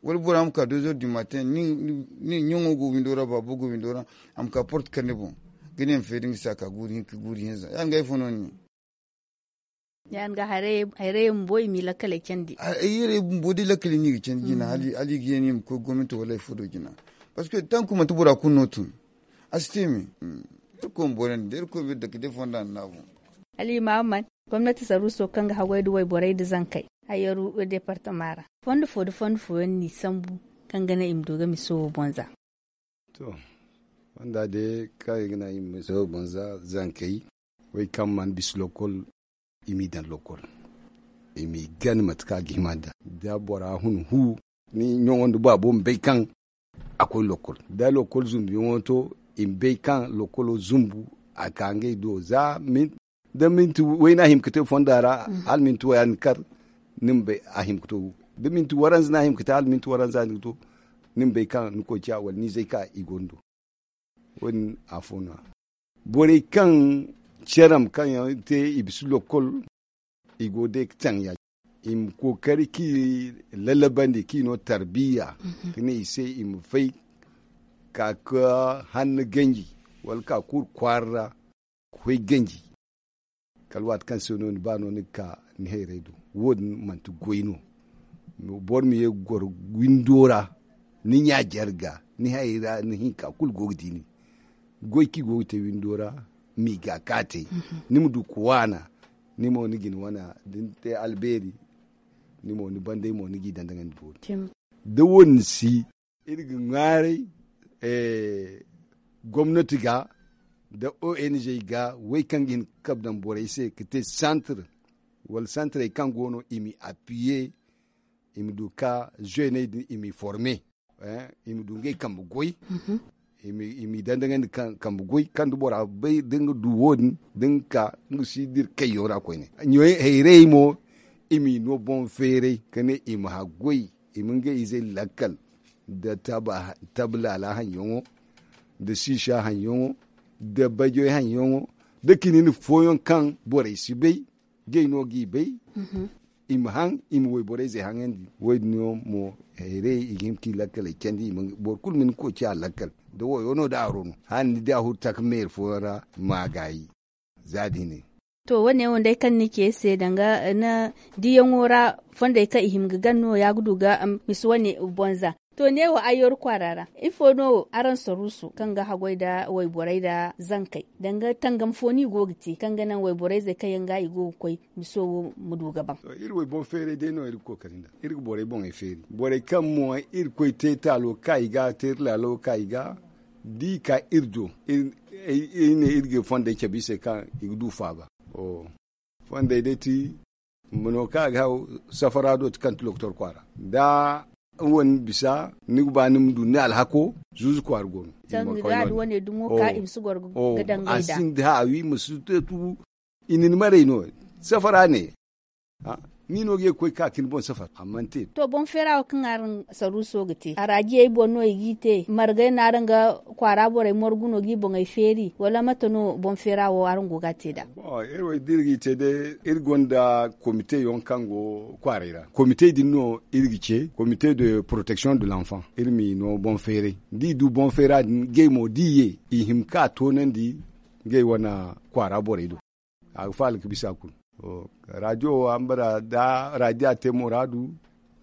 Wala bora ma ka deux heures du matin ni ɲaŋo go windo ra baabo go windo ra. A ma ka porte kar ni boŋ ga ne ma feeri nga si a ka guuri hinka guuri hinza ya- din ga ay fo no ni. Ya- din ga haray bumbo i ma i lakkaley candi. Haray bumbo day lakkaley no i ga candi jina hala i ga ye no i ma koy gomnati wala hari fo do jina. Parce que tanku manti bora kulu no tun. A si te me. Irkoy ma borandi day irkoy ma iri dake day fonda nda naabu. Hala i ma a man gomnati saruuso kaŋ ga haggoy nda wayborey nda zankey hayyaru deepartama ra. Fondo fo nda fondo fooyaŋ no i sambu kaŋ ga naŋ i ma du ga miso wo boŋ za. To fonda day kaŋ i ga naŋ i ma miso wo boŋ za zankey wey kaŋ mana bisa lokol. I m'i daŋ lokol i m'i gana mate kaŋ a ga hima nd'a. Da bora hun hu ni ɲaŋo nda baabo ma bay kaŋ a koy lokol da lokol zumbuyaŋo to i ma bay kaŋ lokolo zumbu a ka ngey do za da minti wayna hima ga te fonda ra hala minti waya ni kar ni ma bay a hima ga to. Da minti waranza no a hima ga te hala minti waranza ni ga to ni ma bay kaŋ ni koy ciya wala ni zay ka i gondo. Wo- din afo no ya borey kaŋ caram kaŋ yaŋ te i bisa lokol i go day ga taŋ ya- i ma kookari kaŋ i lalabandi kaŋ i no tarbiya ka ne i se i ma fay ka ga hanno ganji wala ka kuuru kwaara ra ga koy ganji. Kala waati kaŋ se no ni ba no ni ga ka ni hayray do wo- din manti goy no. Boro ma ye ga goro windo ra, ni ɲa jarga, ni hayey ra ni hinka kulu go ga di ni. Goy kaŋ i go ga te windo ra, m'i ga kaatey. Ni ma du ga waana, ni mo ni ga ni wana da ni te albeeri, ni mo ni bandey mo ni g'i dandangandi boori. Da wo- din si, iri ga ŋwaaray gomnati ga nda ong ga, wey kaŋ ga hin ga kabe daŋ borey se ga te santir, wala santirey kaŋ go no i m'i appiye, i ma du ga ka zeeney din i m'i forme, i ma du ngey kambe goy, i m'i dandangandi kambe goy kaŋ da bora bay da nga du wo- din da nga ka nga si dira kayyaŋ ra koyne. Hayrayey mo, i m'i no boŋ feeray ka ne i ma haggoy, i ma ngey izey lakkal, nda tabi laala haŋyaŋo, nda siisa haŋyaŋo, nda bajoy haŋyaŋo, nda kinin fooyaŋ kaŋ borey si bay, ngey no g'i bay. I ma haŋ, i ma wayborey zey haŋandi. Wo- din no mo, hayray i ga hin ga i lakkaley candi, boro kulu ma ni koy ci a lakkal. Da wayo no da haro no, hala ni di a huru taka meeri fooyaŋ ra, ma gaayi. Za da hine. To, wo- ne wo day kaŋ ni ce se danga diyaŋo ra, fondey kaŋ i hima ga gana no ya ga du ga misa wane bonza. To, neewo ayyoru kwaara ra, ifo no araŋ saruuso kaŋ ga haggoy nda wayborey nda zankey, danga tangam fo no i go ga te kaŋ ga naŋ wayborey zey kaŋ yaŋ ga i go ga koy miso wo ma du ga baŋ? Iri way boŋ feeray day no iri ga kookari nda iri ga borey boŋey feeri. Borey kaŋ mo iri koy te taalo ka i ga te iri laalo ka i ga, da i ka iri do, iri ne iri ga fondey cabe i se kaŋ i ga du faaba. Fondey day ti, mano kaŋ a ga haw safara do ti kaŋ ti lokotor kwaara. Da wane bisa ni ga ba ni ma du ni alhako, zuuzu kwaara go no. Sanni da da wane dumo ka i ma si goro ga dangay da a sinda haawi ma si te tubu. I na ni maray no, safara ne. Ni no ga ye ga koy ka ka ni boŋ safar a mana te. To, boŋ feera wo kaŋ araŋ saruuso ga te, araajiyey boŋ no i g'i te margay no araŋ ga kwaara borey morgu no g'i boŋey feeri wala mate no boŋ feera wo araŋ go ga a te nd'a? Iri wo da iri g'i te day, iri gonda komite yaŋ kaŋ go kwaaray ra. Komite din no iri ga ce komite de protection de l'enfant. Iri m'i no boŋ feeray, da i du boŋ feera din ngey mo da i ye, i hima ka toonandi ngey wane kwaara borey do. A ga faala ga bisa kulu. Raadiyo wo a ma bara da raadiyo a te muraadu,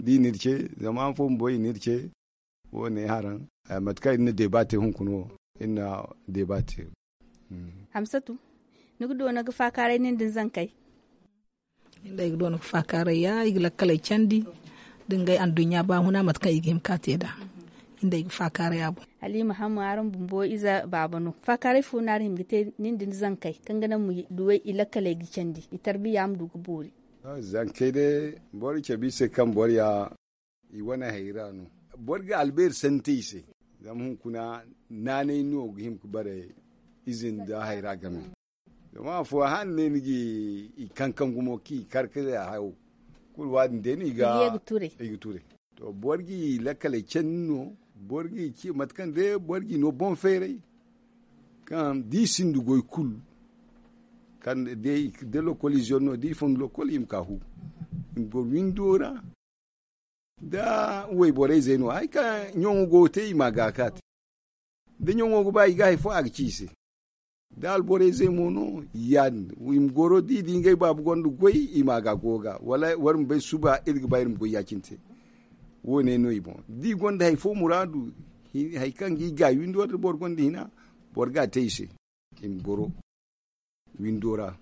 da i n'iri ce zama han fo bumbo i n'iri ce. Wo- ne haraŋ, mate kaŋ iri na deeba te hunkuna wo, iri na deeba te. Hamsatu, ni ga doona ga faakaaray nin da ni zankey? Iri day ga doona ga faakaaray ya i ga lakkaley candi, da ngey anduɲɲa baahuna mate kaŋ i ga hima ka te nd'a. Iri day ga faakaaray a boŋ. Halima hamma araŋ bumbo ize baaba no, faakaaray fo no araŋ hima ga te nin da ni zankey kaŋ ga naŋ ma duwey i lakkaley ga candi, i tarbiya ma du ga boori? Zankey day, boro cabe i se kaŋ boro ya i wane hayra no. Boro ga albeeri sante i se, zama hunkuna naanay no ga hima ga bare ize nda hayra game. Zama afo han ne ni ga i kankan gumo kaŋ i kar ga hayo, kulu waadin day no i ga ture. To, boro ga i lakkaley candi no, boro ga i ci mate kaŋ day boro ga i no boŋ feeray. Kaŋ da i sinda goy kulu, kaŋ day da lokol izo no da i fonda lokol i ma ka hu, i ma goro windo ra. Da wayborey zey no hari kaŋ ɲaŋo go ga te i ma a ga ka te. Da ɲaŋo ga ba i ga hari fo a ga ci i se. Da alborey zey mo no, ya- din i ma goro da i di ngey baabu gonda goy, i ma a ga go ga wala war ma bay suba iri ga ba iri ma goy ya- cine te. Wo- ne no i boŋ da i gonda hari fo muraadu, hari kaŋ ga i gaayi windo da boro gonda hina, boro ga a te i se. I ma goro windo ra,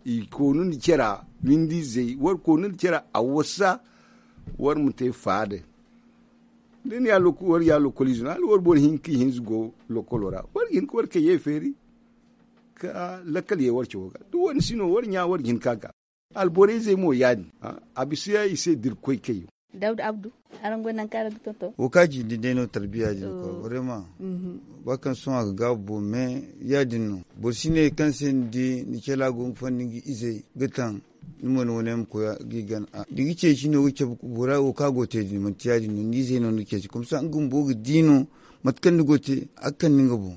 i koonu nda care, windi izey war koonu nda care a wasa. War ma te faada. Da ni ya war ya lokol ize no hala war boro hinka ihinza go lokolo ra, war ga hin ka war kayye feeri ka lakkal ye war cawo ga. Da wani si no war ɲa war ga hin ka ga. Alborey zey mo ya- din, a bisa i se da iri koy kayyo. Dawda abdu, araŋ go nangu kaŋ araŋ ga tonton? Wo kaŋ a cindi day no tarbiya din ko, warema. Ba kaŋ sohõ a ga gaabu boŋ me, ya- din no. Boro si ne kaŋ se ni di ni cala go ga fandi nga izey ga taŋ, ni mo ni wane ma koy ga i gana. Da i ga ceeci no ga cabe bora wo kaŋ a go ga te din manti ya- din no ni izey no ni ga ceeci komsa nga bumbo ga di no. Mate kaŋ ni go ga te a ga kande nga boŋ.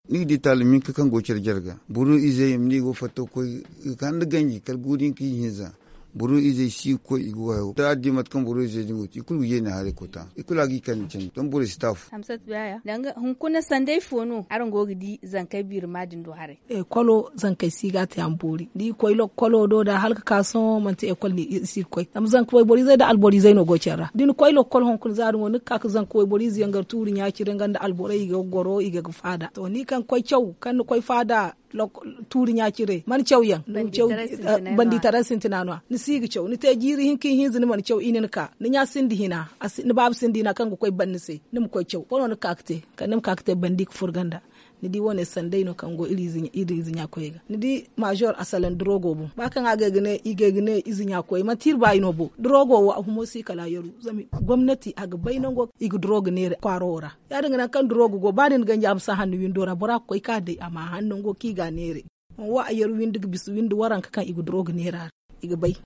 Ni ga di taali minka kaŋ go care jarga boro izey ma ne i go fatta ga koy ga ka nda ganji kala guuri hinka ihinza. Boro izey si ga koy i ga wayo da a di mate kaŋ boro izey din go te i kulu ga yeeni haray kota i kulu a ga i kande candi zama borey si taafu. Hamsat baya danga hunkuna sanday fo no araŋ go ga di zankey biirima din do haray? Ekolo zankey si ga a te a ma boori da i koy lokolo do da hala ga ka sohõ manti ekol no i si ga koy zama zanka wayboro izey nda alboro izey no go care ra da ni koy lokol hunkuna za din wo ni ga ka ga zanka wayboro ize yaŋ gar tuuri ɲa-cire nga nda alborey i ga ga goro i ga ga faada to ni kaŋ koy caw kaŋ ni koy faada. Tuuri ɲa-cire mana caw yaŋ bandi taray sintina no- ya ni si ga caw ni te jiiri hinka ihinza ni mana caw i na ni ka ni ɲa sinda hina ni baaba sinda hina kaŋ ga koy ban ni se ni ma koy caw ifo no ni ga ka ga te kala ni ma ka ga te bandi ga furo ganda. Ni di wo- ne sanday no kaŋ go iri ize ɲa koyey ga ni di maazor a salaŋ durogo boŋ ba kaŋ a ga ay ga ne ize ɲa koyey manti iri baayi no bo durogo wo a humo si kala a yaru zama gomnati a ga bay nango i ga durogo neera kwaaro wo ra. Ya- din ga nangu kaŋ durogo go ba da ni ganji a ma si a hanno windo ra bora ga koy ka day a ma a hanno nango kaŋ i ga a neera. Wo a yar windi ga bisa windi waranka kaŋ i ga durogo neera ra i ga bay.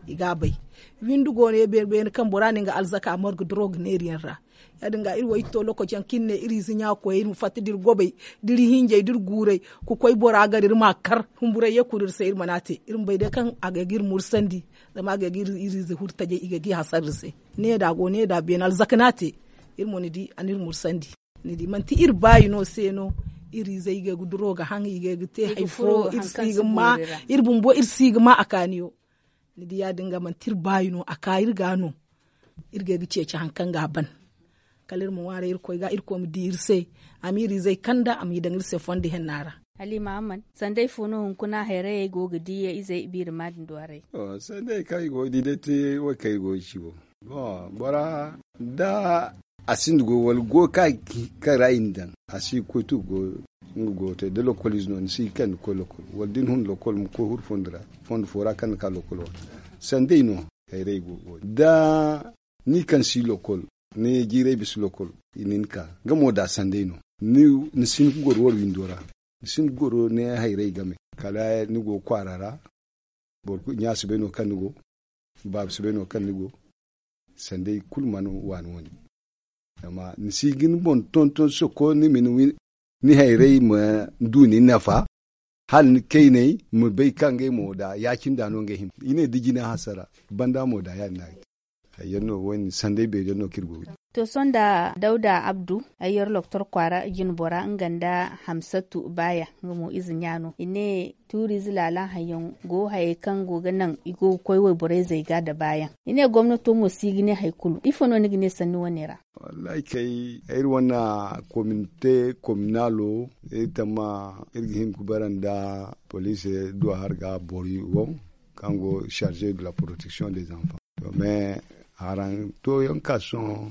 I ga a bay windi go no ya beene beene kaŋ bora na nga alzaka a margu durogo neera yaŋ ra. Ya- din ga iri wo iri to lokaci yaŋ kaŋ iri ne iri ize ɲa koyey iri ma fatta da iri gobay da iri hinjay da iri guuray ka koy bora gar iri ma a kar humburay ye kulu iri se iri mana a te iri ma bay day kaŋ a ga ay ga iri mursandi. Zama a ga ay ga iri ize huru tajay i ga ay ga i hasara iri se. Ne da a go ne da beene alzaka no a te. Iri mo ni di a na iri mursandi. Ni di manti iri baayi no se no iri izey i ga ay ga duro ga haŋ i ga ay ga te hari fo iri si ga ma iri bumbo iri si ga ma a kaaniyo. Ni di ya- din ga manti iri baayi no a ka iri ga no. Iri ga ay ga ceeci hari kaŋ ga a ban kala iri ma ŋwaaray irkoy ga irkoy ma di iri se a ma iri izey kanda a m'i daŋ iri se fondo henna ra. Hala i ma a man sanday fo no hunkuna hayrayey go ga di ya izey biirima din do haray? Sanday kaŋ i go ga di day te wo kaŋ i go ga ci wo. Boŋ bora da a sinda goy wala goy kaŋ a ga kaŋ ra i na daŋ a si ga koy tu ga goy. Nga goy te da lokol ize no ni si ga kaŋ ni ga koy lokol wala da ni hun lokol ma koy huru fondo ra fondo fo ra kaŋ ni ka lokol wala sanday no. Hayray go ga goy da ni kaŋ si lokol ni jiiray bisa lokol i na ni ka nga mo da sanday no. Ni si hin ga goro wara windo ra ni si hin ga goro ni hayray game kala ni go ga kwaara ra. Boro kulu ɲa si bay no kaŋ ni go baaba si bay no kaŋ ni go. Sanday kulu mana waani wane zama ni si ga ni boŋ tonton soko ni ma ni hayray ma du ni nafa. Hala ni kayney ma bay kaŋ ngey mo da ya- cine da no ngey hima i ne da jina hasara banda mo da ya- din no a ga te. Hayyaŋ no wo- din sanday beeri yaŋ no kaŋ iri go ga di. To sohõ nda dawda abdu ay yar loktor kwaara jinbora nga nda hamsatu baaya nga mo ize ɲa no i ne tuuriize laala hayyaŋ go hayey kaŋ go ga naŋ i go ga koy wayborey zey ga nda baayaŋ. I ne gomnato mo si ga ne hari kulu ifo no ni ga ne sanni wane ra? Wallahi kay iri wane kominte kominaalo iri tamma iri ga hin ga bara nda poliisi duwa hari ga boro wo kaŋ go charge de la protection des enfants. To mais haraŋ to yaŋ ka sohõ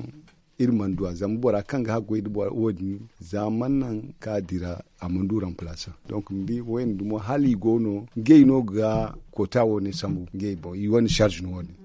iri mana du a zama bora kaŋ ga haggoy nda bora wo- din za mana naŋ ka dira a mana du remplaçant donc ni di wo- din dumo hala i go no ngey no ga koota wo- ne sambu ngey boŋ i wane charge no wo- din.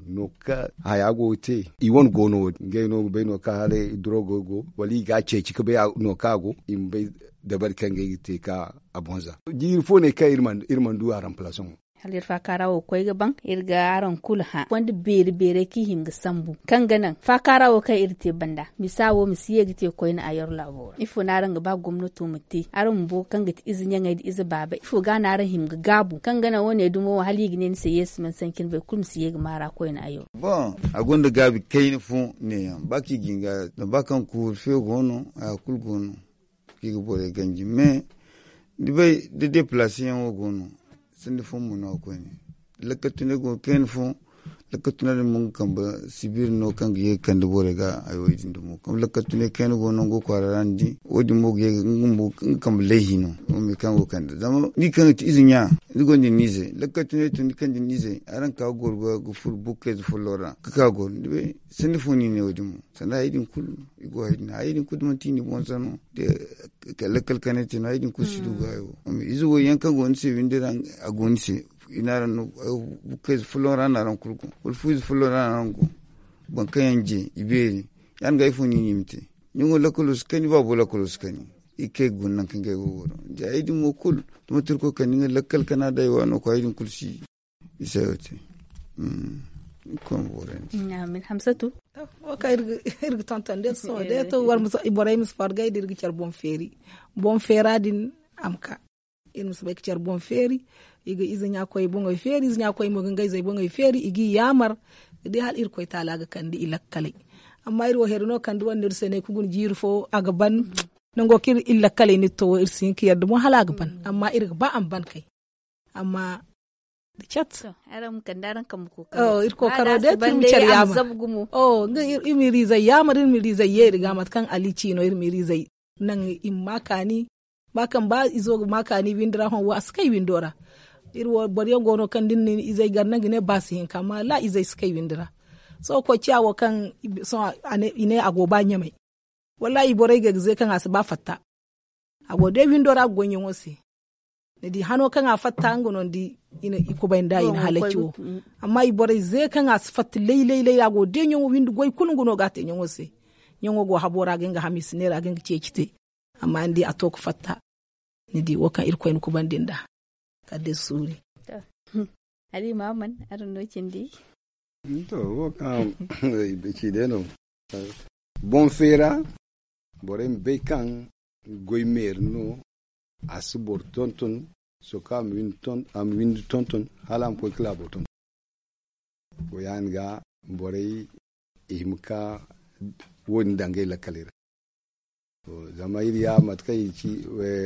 No kaŋ haya go ga te i wane go no wo- din ngey no ga bay no kaŋ hala drogo go wala i ga a ceeci ga bay no kaŋ a go i ma bay dabari kaŋ ngey ga te ka a boŋ za. Jiiri fo ne kaŋ iri mana du a remplaçant wo. Hala iri faakaara wo ga koy ga baŋ iri ga araŋ kulu hã fondo beeri beerey kaŋ i hima ga sambu kaŋ ga naŋ faakaara wo kaŋ iri te banda misa wo ma si ye ga te koyne a yar laabo ra ifo no araŋ ga ba gomnato ma te araŋ bumbo kaŋ ga ti ize ɲaŋey nda ize baabey ifo ga no araŋ hima ga gaabu kaŋ ga naŋ wo- ne dumo wo hala i ga ne ni se yeesu mana sanci ni bay kulu ma si ye ga maara koyne a yar. Boŋ a gonda gaabi kayna fo neeyaŋ ba kaŋ i ga hin ga zama ba kaŋ kuuru feewo go no haya kulu go no kaŋ i ga borey ganji mais ni bay da deplaseyaŋ wo go no. Sanda fo mo no a koyne lakkal tunay go ga kayna fo. Lakkal tunay din mo nga kambe sibir no kaŋ ga ye ga kande borey ga hayo din dumo kaŋ lakkal tunay kayna go nango kwaara ra ni di wo- din mo ga ye ga nga kambe layhi no. Wo me kaŋ go ga kande zama ni kaŋ ga ti ize ɲa ni gonda ni ize lakkal tunay tun ni kaŋ da ni ize araŋ ka ga goro ga furo bukayze folloŋ ra ga ka ga goro ni bay. Sanda fo no i ne wo- din mo sanda hayey din kulu i go hayey din hayey din kulu da manti i na i boŋ sanno lakkal kanay te no hayey din kulu si du ga hayo. Ize wo yaŋ kaŋ go ni se windi ra a go ni se i na araŋ no bukayze folloŋ ra no araŋ kulu go wala fu ize folloŋ ra no araŋ go. Boro kaŋ yaŋ je i beeri ya- din ga ifo no i na i ma te? Ni go lakkalo si kani baabo lakkalo si kani i ga kay ga guna nangu kaŋ ga ay go goro da hayey din mo kulu da manti irkoy kande nga lakkal kana da ay waano koy hayey din kulu si. Isa yo te. Irkoy ma boorandi. Amin hamsatu. Wo kaŋ iri ga tonton day sohõ day to borey ma si fargay da iri ga care boŋ feeri. Boŋ feera din a ma ka iri ma si bay ga care boŋ feeri. I ga ize ɲa koy boŋey feeri ize ɲa koy mo ga ngey zey boŋey feeri i g'i yaamar. Ga di hala irkoy taala ga kande i lakkaley. Amma iri wo here no kande wane no iri se ne ka guna jiiri fo a ga ban. Nango kaŋ iri lakkaley no iri to wo iri si hin ka yadda mo hala a ga ban amma iri ga ba a ma ban kay. Amma da cat. Iri kookaro day te iri ma care yaamar. Iri ma iri izey yaamar iri ma iri izey yeeri ga mate kaŋ ali ci no iri ma iri izey naŋ i ma ma kaani. Ba kaŋ ba izo ga ma kaani windi ra hõ wo a si kay windo ra. Iri wo boro yaŋ go no kaŋ da ni na ni izey gar naŋ ga ne ba si hinka amma wallaahi izey si kay windi ra. Sohõ koy ciya wo kaŋ i ne a go ba ɲamay. Wallaahi borey ga ay ga ze kaŋ a si ba fatta. A go day windo ra ga goy ɲaŋo se. Ni di hano kaŋ a fatta nga no ni di i kubay nda i na halaci wo. Amma i borey ze kaŋ a si fatta lay-lay-lay a go day ɲaŋo windi goy kulu nga no ga a te ɲaŋo se. Ɲaŋo go habo ra ga nga hamiisi neera ga nga ceeci te. Amma ni di a to ga fatta. Ni di wo kaŋ irkoy na kubandi nd'a. Kala day suuri. Alima man araŋ no cindi. To wo kaŋ ci day no. Boŋ feera borey ma bay kaŋ goy meeri no. A si boro tonton. Sohõ kaŋ a ma windi tonton hala a ma koy ka laabo tonton. Wo ya- din ga borey i hima ka wo- din daŋ ngey lakkaley ra. Zama iri ya mate kaŋ i ci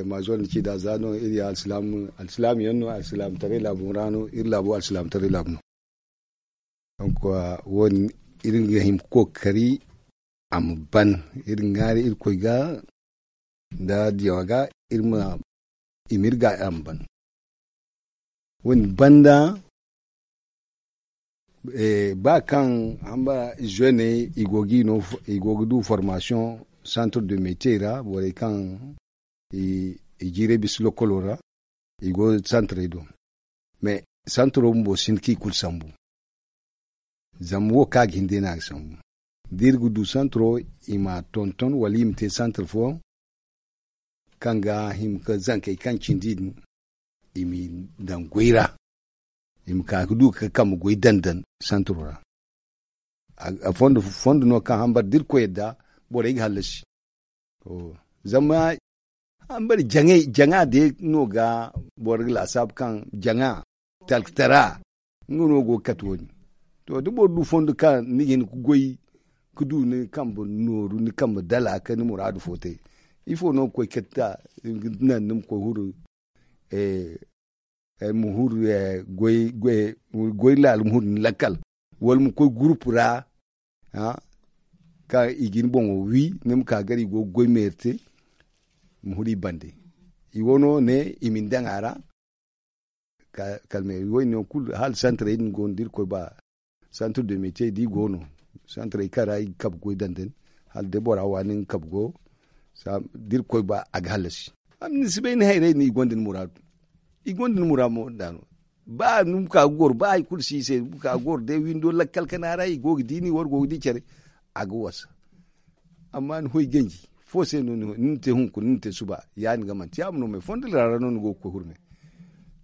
maazor ni ci nd'a za no iri ya alsilaam yaŋ no alsilaamtaray laabu ra no iri laabo alsilaamtaray laabu no. Donk wo- din iri ga hin ga kookari a ma ban. Iri ga ŋwaari irkoy ga nda diyaŋo ga iri ma i ma iri ga a ma ban. Wo- din banda ba kaŋ hamba zone i go ga du formasiyoŋ santre de metier ra borey kaŋ i jiiray bisa lokolo ra. I go santrey do. Mais santro bumbo si hin kaŋ i kulu sambu. Zama wo kaŋ a ga hin day no a ga sambu. Da iri ga du santro i ma a tonton wala i ma te santre fooyaŋ kaŋ ga hima ka zankey kaŋ cindi din i m'i daŋ goy ra. I ma ka ga du ga kambe goy daŋ daŋ santro ra. Fondo no kaŋ hambara da irkoy yadda borey ga hallasi. Zama hambara jaŋa day no ga boro ga laasaabu kaŋ jaŋa talkatara nga no go ga kate wo- din. To da boro du fondo kaŋ ni ga hin ga goy ga du ni kambe nooru ni kambe dala ka ni muraadu fo te. Ifo no ga koy kate a? Naŋ ni ma koy huru ma huru goy laala ma huru ni lakkal wala ma koy gurupu ra kaŋ i ga ni boŋo wi ni ma ka gar i go ga goy meeri te. Ma huru i bande i wano ne i ma ni daŋ a ra. Kala meeri wo- din yaŋ kulu hala santarey din go no da irkoy ba santre de metier da i go no santarey kaŋ ra i ga kabe goy daŋ daŋ hala day bora waani nga kabe go. Da irkoy ba a ga hallasi. Amma ni si bay ni hayrey no i gonda ni muraadu. I gonda ni muraadu mo nd'a no ba ni ma ka ga goro ba hari kulu si i se ni ma ka ga goro day windo lakkal kana ra i go ga di ni war go ga di care. A ga wasa. Amma ni hoy ganji fo se no ni na te hunkuna ni na te suba ya- din ga manti ya- ma no me fondo ra no ni go ga koy hurme.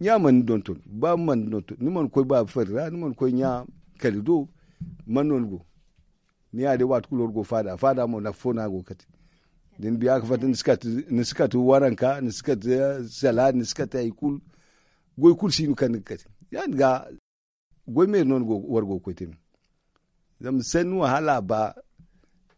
Ɲa mana ni donton ba mana ni donton ni mana koy baaba fari ra ni mana koy ɲa kali do. Man no ni go ni ya day waati kulu war go faada faada mo nafa fo no a go ga kate. Da ni biya ga fatta ni si kate waranka ni si kate sala ni si kate hari kulu. Goy kulu si no kaŋ ni ga kate ya- din ga goy meeri no war go ga koy te no. Zama sanni wo hala a ba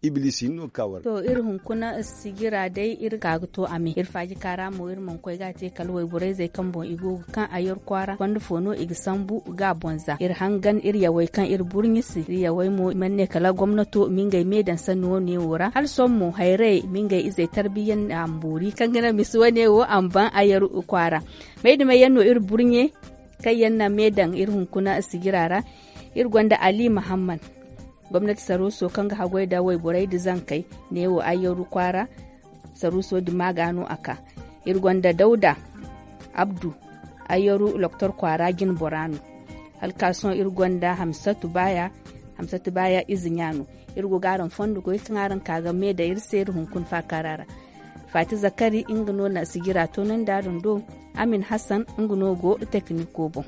ibliisi hinne no ga ka war ga. To iri hunkuna sijira day iri ka ga to a me iri faaji kaara mo iri mana koy ga a te kala wayborayzey kaŋ boŋ i go ga kaŋ ayar kwaara fondo fo no i ga sambu ga a boŋ za iri hangan iri yawey kaŋ iri burɲi se iri yawey mo i mana ne kala gomnato ma ngey me daŋ sanni wo- ne wo ra hala sohõ mo hayrayey ma ngey izey tarbiya nda a ma boori kaŋ ga naŋ misi wane wo a ma baŋ ayar kwaara. May dumey yaŋ no iri burɲe kaŋ yaŋ na me daŋ iri hunkuna sijira ra. Iri gonda ali mahamman gomnati saruuso kaŋ ga haggoy nda wayborey nda zankey neewo ayyaru kwaara. Saruuso din ma ga no a ka iri gonda dawda abdu ayyaru loktor kwaara jinbora no. Hala ka sohõ iri gonda hamsatu baaya. Hamsatu baaya ize ɲa no. Iri go ga araŋ fondo goy kaŋ araŋ ka ga me daŋ iri se iri hunkuna faakaara ra. Faati zakari nga no na sijira toonandi araŋ do. Amin hassan nga no go tekiniko boŋ.